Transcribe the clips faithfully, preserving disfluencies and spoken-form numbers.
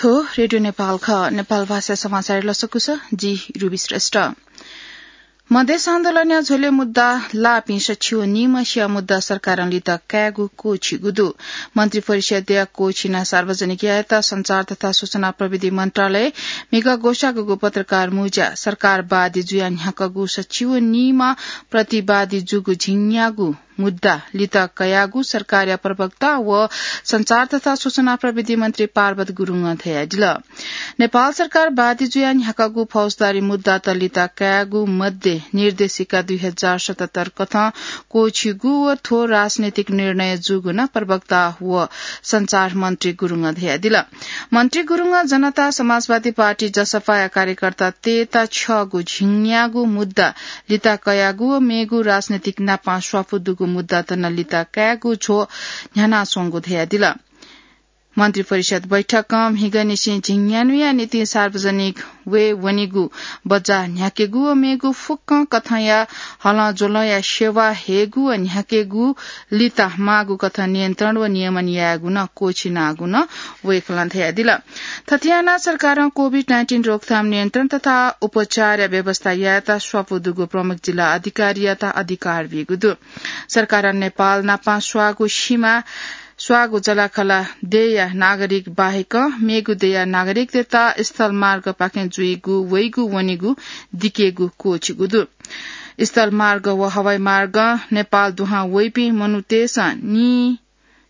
थ्व रेडियो नेपाल खः। नेपाल भाषा समाचार लसकुस, जि रुबी श्रेष्ठ। मधेस आन्दोलनया झ्वलय् मुद्दा लाःपिं सछि व निम्ह स्या मुद्दा सरकारं लित कायेगु क्वःछिगु दु। मन्त्री परिषदया क्वःछिना सार्वजनिक यायेत सञ्चार तथा सूचना प्रविधि मन्त्रालय म्हिगः ग्वसाःगु पत्रकार मुजा सरकारवादी जुया न्ह्याकागु सछि व निम्ह प्रतिवादी जूगु झिंन्यागू मुद्दा लित कयागु सरकारया प्रवक्ता व सञ्चार तथा सूचना प्रविधि मन्त्री पार्वत गुरुङं धयादिल। नेपाल सरकार बादी जुया न्ह्याकागु फौजदारी मुद्दात लित कायेगु मध्ये निर्देशिका दुई हजार सतहत्तर कथं क्वःछिगु व थ्व राजनैतिक निर्णय जूगु नं प्रवक्ता व सञ्चार मन्त्री गुरुङं धयादिल। मन्त्री गुरुङं जनता समाजवादी पार्टी जसपाया कार्यकर्ता तयेत छ्यःगु झिंन्यागू मुद्दा लित कयागु व मेगु राजनैतिक नापां स्वापू दुगु मुद्दात नं लित कायेगु झ्वः न्ह्यानाच्वंगु धयादिल। मन्त्री परिषद बैठकं म्हिगःनिसें झिंन्यान्हुया निंतिं सार्वजनिक वये वनीगु बज्जा न्ह्याकेगु व मेगु फुक्कं कथंया हलंज्वलंया सेवा हयेगु व न्ह्याकेगु लित माःगु कथं नियन्त्रण व नियमन यायेगु नं क्वःछिनागु नं वय्कलं धयादिल। थथे यानाः सरकारं कोभिड नाइन्टिन रोकथाम नियन्त्रण तथा उपचारया व्यवस्था यायेत स्वापू दुगु प्रमुख जिल्ला अधिकारीयात अधिकार बीगु दु। सरकारं नेपाल नापां स्वाःगु सीमा स्वाःगु जःलाखःला देय्या नागरिक बाहेक मेगु देय्या नागरिकतय्त स्थलमार्गपाखें जुइगु वइगु वनेगु दिकेगु क्वःछिगु दु। स्थलमार्ग व हवाईमार्गं नेपाल दुहां वइपिं मनूतय्सं नि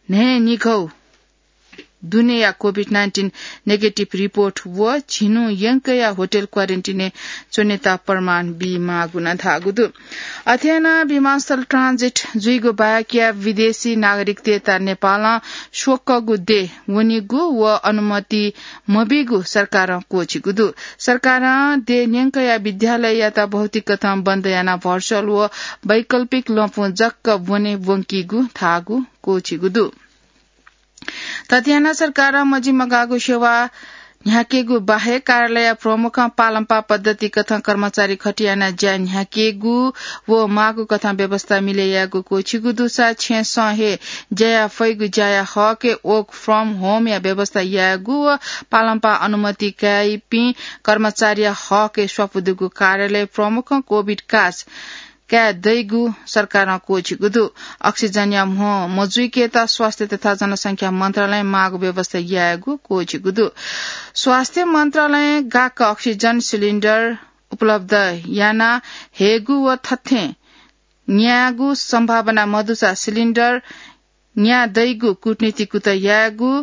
न्हय्निघौ दुनेया कोभिड नाइन्टिन नेगेटिभ रिपोर्ट व झिन्हु यंकया होटल क्वारेन्टिनय् च्वनेत प्रमाण बीमाःगु नं धाःगु दु। अथे यानाः विमानस्थल ट्रान्जिट जुइगु बाहेकया विदेशी नागरिकतय्त नेपालं स्वकःगु देय् वनीगु व अनुमति मबीगु सरकारं क्वःछिगु दु। सरकारं देय् न्यंकया विद्यालययात भौतिक कथं बन्द यानाः भर्चुअल व वैकल्पिक लँपुं जक ब्वने ब्वंकीगु धाःगु क्वःछिगु दु। थथे यानाः सरकारं मजिमगाःगु सेवा न्ह्याकेगु बाहेक कार्यालय प्रमुखं पालंपाः पद्धति कथं कर्मचारी खटी यानाः ज्या न्ह्याकेगु व माःगु कथं व्यवस्था मिले यायेगु क्वःछिगु दुसा छेँसं हे ज्या याये फइगु ज्याया हकय् work from home या व्यवस्था यायेगु व पालंपाः अनुमति काइपिं कर्मचारीया हकय् स्वापू दुगु कार्यालय प्रमुखं कोभिड कास काये दइगु सरकारं क्वःछिगु दु। अक्सिजनया म्ह मजुइकेत स्वास्थ्य तथा जनसंख्या मन्त्रालयं माःगु व्यवस्था यायेगु क्वःछिगु दु। स्वास्थ्य मन्त्रालयं गाक्क अक्सिजन सिलिन्डर उपलब्ध याना हयेगु व थथें न्यायेगु सम्भावना मदुसा सिलिन्डर न्याये दइगु कूटनीति कुतः यायेगु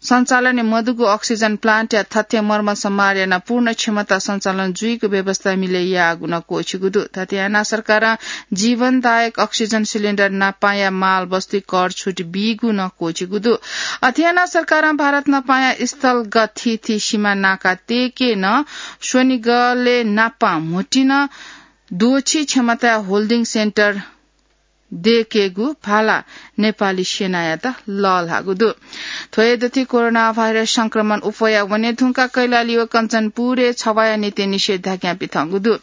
सञ्चालनय् मदुगु अक्सिजन प्लान्टया थथे मर्मर सम्हार यानाः पूर्ण क्षमता सञ्चालन जुइगु व्यवस्था मिले याःगु नं क्वःछिगु दु। थथे यानाः सरकारं जीवनदायक अक्सिजन सिलिन्डर नापांया माल वस्तुइ कर छुट बीगु नं क्वःछिगु दु। अथे यानाः सरकारं भारत नापांया स्थलगत थीथी सीमा नाका तयेके नं स्वनिगलय् नापां म्होतिं नं द्वःछि क्षमताया होल्डिङ सेन्टर दयेकेगु भाला नेपाली सेनायात लःल्हाःगु दु। थ्व हे दथुइ कोरोना भाइरस संक्रमण उफया वने धुंकाः कैलाली व कञ्चनपुरय् छवाःया निंतिं निषेधाज्ञा पिथंगु दु।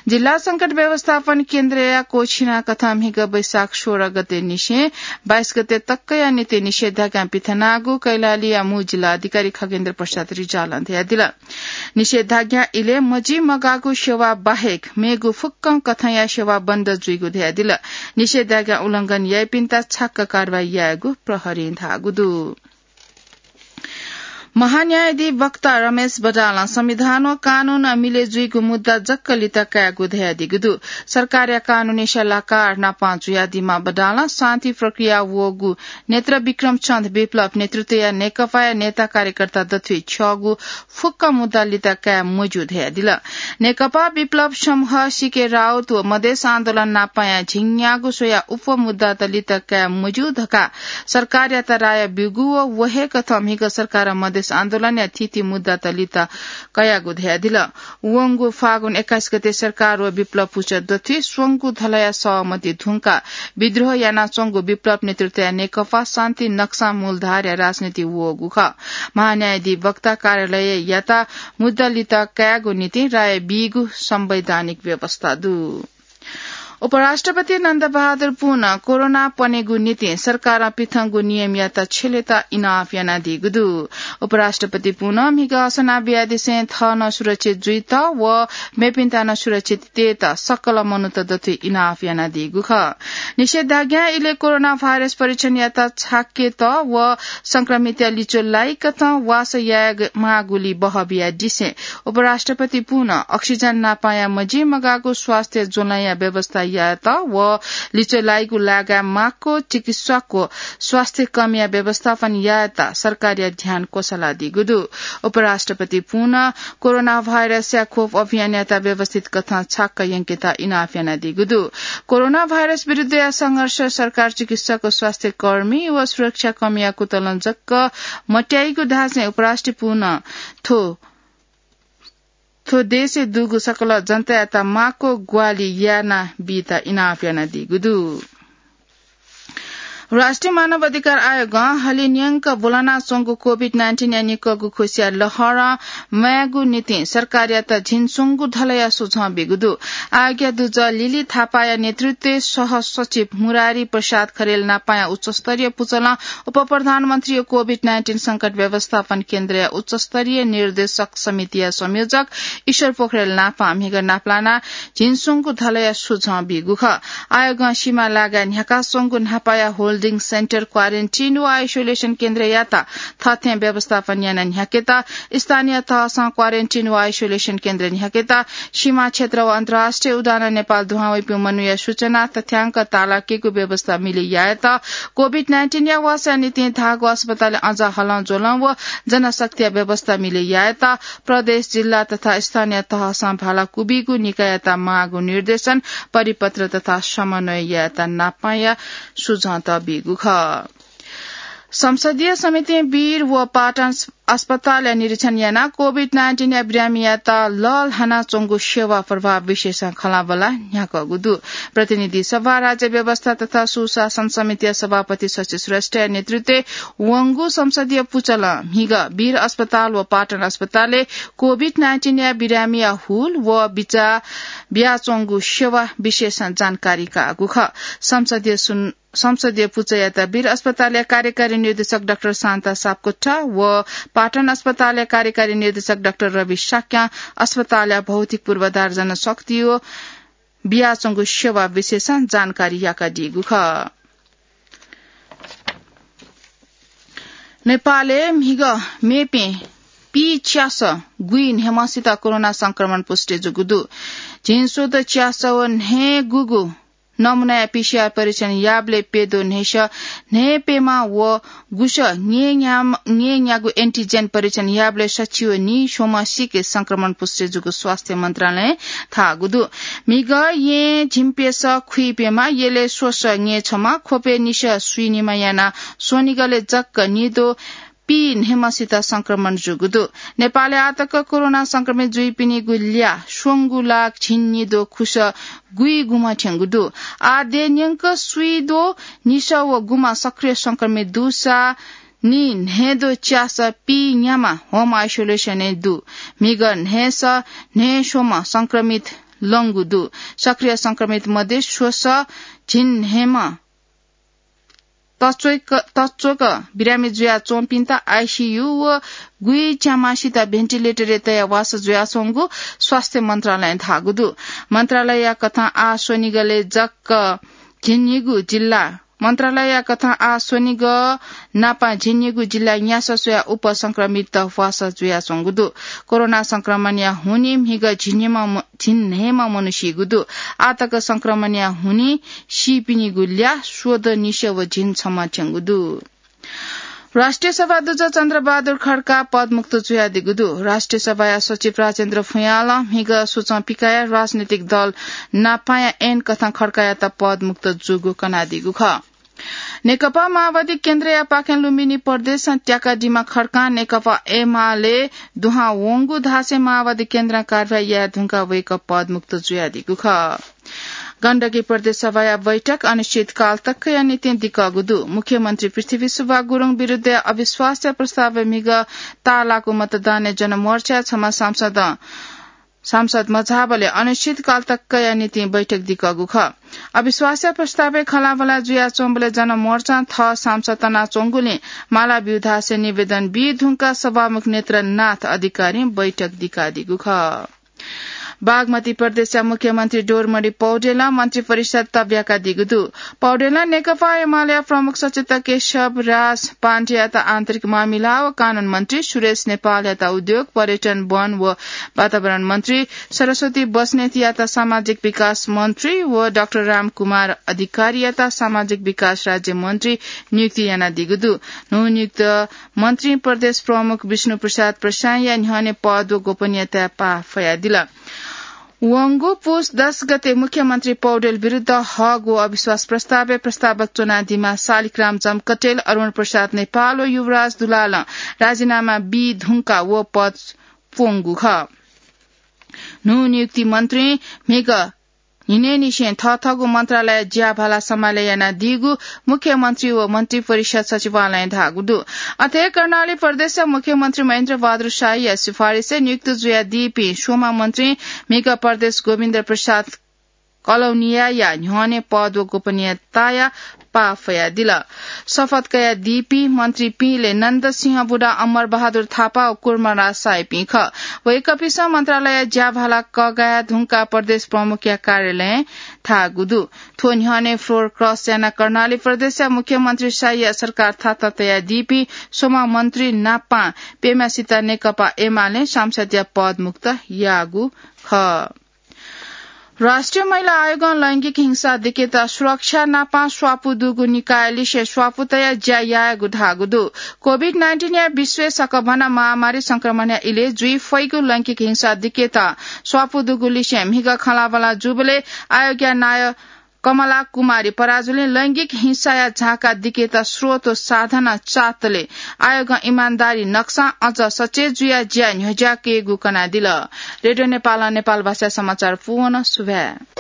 जिल्ला संकट व्यवस्थापन केन्द्रया क्वःछिना कथं म्हिगः वैशाख सोह्र गते निसें बाइस गते तकया निंतिं निषेधाज्ञा पिथनागु कैलालीया मू जिल्ला अधिकारी खगेन्द्र प्रसाद रिजालं धयादिल। निषेधाज्ञा इलय् मजिमगाःगु सेवा बाहेक मेगु फुक्कं कथंया सेवा बन्द जुइगु धयादिल। निषेधाज्ञा उल्लंघन याइपिन्त छाक्क कारवाही यायेगु प्रहरीं धाःगु दु। महान्यायाधिवक्ता रमेश बडालं संविधान व कानून मिले जुइगु मुद्दा जक लित कायेगु धयादीगु दु। सरकारया कानूनी सल्लाहकार नापां जुयादीम्ह बडालं शान्ति प्रक्रिया वःगु नेत्र विक्रम चन्द विप्लव नेतृत्वया नेकपाया नेता कार्यकर्ता दथुइ छ्यःगु फुक्क मुद्दा लित काये मज्यू धयादिल। नेकपा विप्लव समूह सीके राउत व मधेस आन्दोलन नापांया झिंन्यागू स्वया उपमुद्दात लित काये मज्यू धकाः सरकारयात राय ब्यूगु व व हे कथं म्हिगः सरकारं मधेस आन्दोलनया थीथी मुद्दात लित कयागु धयादिल। वंगु फागुन एक्काइस गते सरकार व विप्लव पुचः दथुइ स्वंगू धलया सहमति धुंकाः विद्रोह यानाच्वंगु विप्लव नेतृत्वया नेकपा शान्ति नक्सां मूलधारया राजनीति वःगु खः। महान्यायाधिवक्ता कार्यालययात मुद्दा लित कायेगु निंतिं राय बीगु संवैधानिक व्यवस्था दु। उपराष्ट्रपति नन्दबहादुर पुनं कोरोना पनेगु निंतिं सरकारं पिथंगु नियमयात छ्यलेत इनाप यानादीगु दु। उपराष्ट्रपति पुनं म्हिगः असना बियादिसें थः नं सुरक्षित जुइत व मेपिन्त नं सुरक्षित तयेत सकल मनूत दथुइ इनाप यानादीगु खः। निषेधाज्ञा इलय् कोरोना भाइरस परीक्षणयात छाकेत व संक्रमितया लिच्वः लाइकथं वासः यायेमाःगुली बहः बियादिसें उपराष्ट्रपति पुनं अक्सिजन नापाया मजिमगाःगु स्वास्थ्य ज्वलंया व्यवस्था यायेत व लिच्वः लाइगु लागाय् माक्व चिकित्सक व स्वास्थ्य कर्मीया व्यवस्थापन यायेत सरकारया ध्यान क्वसलादीगु दु। उपराष्ट्रपति पुनं कोरोना भाइरसया खोप अभियानयात व्यवस्थित कथं छाक्क यंकेत इनाप यानादीगु दु। कोरोना भाइरस विरुद्धया संघर्ष सरकार, चिकित्सक, स्वास्थ्य कर्मी व सुरक्षा कर्मीया कुतलं जक मत्याइगु धासें उपराष्ट्रपति पुनं थ्व थ्व देशय् दुगु सकल जनतायात माक्व ग्वाहालि यानाबीत इनाप यानादीगु दु। राष्ट्रिय मानव अधिकार आयोगं हलिं न्यंक ब्वलनाच्वंगु कोभिड नाइन्टिनया निक्वःगु खुसिया लहरं म्वायेगु निंतिं सरकारयात झिंस्वंगू धलया सुझाव बीगु दु। आयोगया दुजः लिली थापाया नेतृत्वय् सह सचिव मुरारी प्रसाद खरेल नापाया उच्चस्तरीय पुचलं उपप्रधानमन्त्रीया कोभिड नाइन्टिन संकट व्यवस्थापन केन्द्रया उच्चस्तरीय निर्देशक समितिया संयोजक ईश्वर पोखरेल नापां म्हिगः नापलानाः झिंस्वंगू धलया सुझाव बीगु खः। आयोगं सीमा लागाय् न्ह्याकाच्वंगु न्हापाया होल्डिङ सेन्टर, क्वारेन्टिन व आइसोलेसन केन्द्रयात थःथें व्यवस्थापन यानाः न्ह्याकेत, स्थानीय तहसं क्वारेन्टिन व आइसोलेसन केन्द्र न्ह्याकेत, सीमा क्षेत्र व अन्तर्राष्ट्रिय उडानं नेपाल दुहां वइपिं मनूया सूचना तथ्याङ्क तालाकेगु व्यवस्था मिले यायेत, कोभिड नाइन्टिनया वासःया निंतिं धाःगु अस्पतालय् अझ हलंज्वलं व जनशक्तिया व्यवस्था मिले यायेत, प्रदेश, जिल्ला तथा स्थानीय तहसं भाला क्वबीगु निकाययात माःगु निर्देशन, परिपत्र तथा समन्वय यायेत नापाया सुझावत बीगु खः। संसदीय समितिं वीर व पाटन अस्पतालया निरीक्षण यानाः कोभिड नाइन्टिनया बिरामीयात लःल्हानाच्वंगु सेवा प्रभाव विषयसं खँल्हाबल्हा न्ह्याकूगु दु। प्रतिनिधि सभा, राज्य व्यवस्था तथा सुशासन समितिया सभापति शशि श्रेष्ठया नेतृत्वय् वंगु संसदीय पुचलं म्हिगः वीर अस्पताल व पाटन अस्पतालय् कोभिड नाइन्टिनया बिरामीया हुल व बिचाः बियाच्वंगु सेवा विषयसं जानकारी काःगु खः। संसदीय सुन-, संसदीय पुचःयात वीर अस्पतालया कार्यकारी निर्देशक डाक्टर शान्ता सापकोटा व पाटन अस्पतालया कार्यकारी निर्देशक डाक्टर रवि शाक्यं अस्पतालया भौतिक पूर्वाधार, जनशक्ति व बियाच्वंगु सेवा विषयसं जानकारी याकादीगु खः। नेपालय् म्हिगः मेपिं पीच्यासः गुइन्हय्म्हसित कोरोना संक्रमण पुष्टि जूगु दु। झिंस्वदँ च्यासः व न्हय्गूगु नमूनाया पीसीआर परीक्षण याःबलय् प्यद्वः न्हय्सः न्हय्प्यम्ह व गुसः न्हय्न्या-, न्हय्न्यागू एन्टिजेन परीक्षण याःबलय् सछि व नीस्वम्हसिके संक्रमण पुष्टि जूगु स्वास्थ्य मन्त्रालयं धाःगु दु। म्हिगः येँ झिंप्यसः खुइप्यम्ह, यलय् स्वसः न्हय्छम्ह, ख्वपय् निसः स्वीनिम्ह यानाः स्वनिगलय् जक निद्वः पीन्हय्म्हसित संक्रमण जूगु दु। नेपालय् आःतक कोरोना संक्रमित जुइपिनिगु ल्याः स्वंगू लाख झिंनिद्वः खुसः गुइगुम्ह थ्यंगु दु। आः देय् न्यंक स्वीद्वः निसः व गुम्ह सक्रिय संक्रमित दुसा नीन्हय्द्वः च्यासः पीन्याम्ह होम आइसोलेसनय् दु। म्हिगः न्हय्सः न्हय्स्वम्ह संक्रमित लंगु दु। सक्रिय संक्रमित मध्ये स्वसः झिंन्हय्म्ह तच्वक, तच्वक बिरामी जुयाच्वंपिन्त आइसीयू व गुइच्याम्हसित भेन्टिलेटरय् तयाः वासः जुयाच्वंगु स्वास्थ्य मन्त्रालयं धाःगु दु। मन्त्रालयया कथं आः स्वनिगलय् जक झिंनिगू जिल्ला, मन्त्रालयया कथं आः स्वनिगः नापं झिंनिगू जिल्लाय् न्यासः स्वयाः उप संक्रमित वासः जुयाच्वंगु दु। कोरोना संक्रमणया हुनिं म्हिगः झिंन्हय्म्ह म-, झिंन्हय्म्ह मनू सीगु दु। आःतक संक्रमणया हुनिं सीपिनिगु ल्याः स्वदँ निसः व झिंछम्ह थ्यंगु दु। राष्ट्रिय सभा दुजः चन्द्रबहादुर खड्का पदमुक्त जुयादीगु दु। राष्ट्रिय सभाया सचिव राजेन्द्र भुयालं म्हिगः सुचं पिकयाः राजनीतिक दल नापाया ऐन कथं खड्कायात पदमुक्त जूगु कनादीगु खः। नेकपा माओवादी केन्द्रयापाखें लुम्बिनी प्रदेशं त्याकादीम्ह खड्कां नेकपा एमाले दुहां वंगु धासें माओवादी केन्द्रं कारवाही याये धुंकाः वय्कः पदमुक्त जुयादीगु खः। गण्डकी प्रदेश सभाया बैठक अनिश्चितकाल तकया निंतिं दिकःगु दु। मुख्यमन्त्री पृथ्वी सुब्बा गुरुङ विरुद्धया अविश्वासया प्रस्तावय् म्हिगः ताःलाःगु मतदानय् जनमोर्चाया छम्ह सांसदं सांसद मझाःबलय् अनिश्चितकाल तकया निंतिं बैठक दिकःगु खः। अविश्वासया प्रस्तावय् खँल्हाबल्हा जुयाच्वंबलय् जनमोर्चां थः सांसद तनाच्वंगुलिं माला ब्यूधासें निवेदन बी धुंकाः सभामुख नेत्रनाथ अधिकारीं बैठक दिकादीगु खः। बागमती प्रदेशया मुख्यमन्त्री डोरमणि पौडेलं मन्त्री परिषद तब्याकादीगु दु। पौडेलं नेकपा एमालेया प्रमुख सचेतक केशव राज पाण्डेयात आन्तरिक मामिला व कानून मन्त्री, सुरेश नेपालयात उद्योग, पर्यटन, वन व वातावरण मन्त्री, सरस्वती बस्नेतयात सामाजिक विकास मन्त्री व डाक्टर रामकुमार अधिकारीयात सामाजिक विकास राज्य मन्त्री नियुक्ति यानादीगु दु। न्हूनियुक्त मन्त्री प्रदेश प्रमुख विष्णु प्रसाद प्रसाईंया न्ह्यःने पद व गोपनीयताय् पाः फयादिल। वंगु पुस दस गते मुख्यमन्त्री पौडेल विरुद्ध हःगु अविश्वास प्रस्तावय् प्रस्तावक च्वनादीम्ह शालिग्राम जमकटेल, अरुण प्रसाद नेपाल व युवराज दुलालं राजीनामा बी धुंकाः व पद प्वंगु खः। न्हूनियुक्ति मन्त्रीं म्हिगः न्हिनय्‌निसें थःथःगु मन्त्रालय ज्याभाला सम्हालय् यानादीगु मुख्यमन्त्री व मन्त्री परिषद सचिवालयं धाःगु दु। अथे कर्णाली प्रदेशया मुख्यमन्त्री महेन्द्र बहादुर शाहीया सिफारिसय् नियुक्त जुयादीपिं स्वम्ह मन्त्रीं म्हिगः प्रदेश गोविन्द प्रसाद कलौनियाया न्ह्यःने पद व गोपनीयताया पाः फयादिल। शपथ कयादीपिं मन्त्रीपिं लय् नन्द सिंह बुढा, अमर बहादुर थापा व कुर्मराज शाहीपिं खः। वय्‌कःपिन्सं मन्त्रालय ज्याभाला कःघाये धुंकाः प्रदेश प्रमुखया कार्यालयं धाःगु दु। थ्व न्ह्यःने floor cross यानाः कर्णाली प्रदेशया मुख्यमन्त्री शाहीया सरकार थाता तयादीपिं स्वम्ह मन्त्री नापं प्यम्हसित नेकपा एमालें सांसदया पद मुक्त याःगु खः। राष्ट्रिय महिला आयोगं लैंगिक हिंसा दिकेत सुरक्षा नापं स्वापू दुगु निकायलिसे स्वापू तयाः ज्या यायेगु धाःगु दु। COVID nineteen या विश्वय् सकभनं महामारी संक्रमणया इलय् जुइ फइगु लैंगिक हिंसा दिकेत स्वापू दुगु लिसें म्हिगः खँल्हाबल्हा जूबलय् आयोगया नायः कमला कुमारी पराजुलीं लैंगिक हिंसाया झाँका दिकेत स्रोत व साधन चाःतले आयोगं इमानदारी नक्सां अझ सचेत जुयाः ज्या न्ह्यज्याकेगु कनादिल। रेडियो नेपालं नेपाल भाषा समाचार पूवन सुभाय्।